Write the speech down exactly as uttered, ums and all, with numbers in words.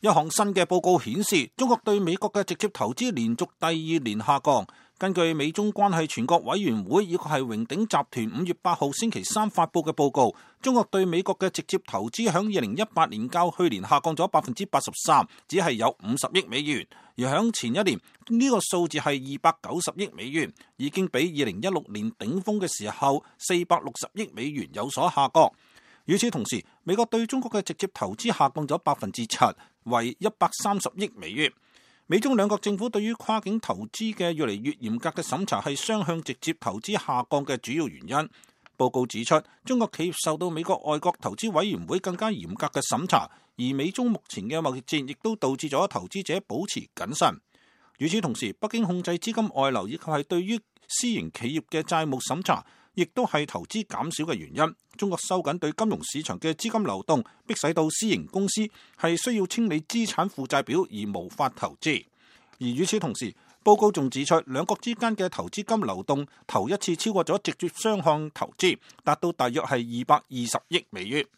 一項新嘅報告顯示，中國對美國嘅直接投資連續第二年下降。根據美中關係全國委員會以及係榮鼎集團五月八號星期三發佈嘅報告，中國對美國嘅直接投資響二零一八年較去年下降咗百分之八十三，只係有五十億美元；而響前一年呢個數字係二百九十億美元，已經比二零一六年頂峰嘅時候四百六十億美元有所下降。與此同時，美國對中國嘅直接投資下降咗百分之七，為一百三十億美元。美中兩國政府對於跨境投資嘅越嚟越嚴格嘅審查係雙向直接投資下降嘅主要原因。報告指出，中國企業受到美國外國投資委員會更加嚴格嘅審查，而美中目前嘅貿易戰亦都導致咗投資者保持謹慎。與此同時，北京控制資金外流以及係對於私營企業嘅債務審查，亦都係投資減少嘅原因。中國收緊對金融市場嘅資金流動，迫使到私營公司係需要清理資產負債表而無法投資。而與此同時，報告仲指出，兩國之間嘅投資金流動頭一次超過咗直接雙向投資，達到大約係二百二十億美元。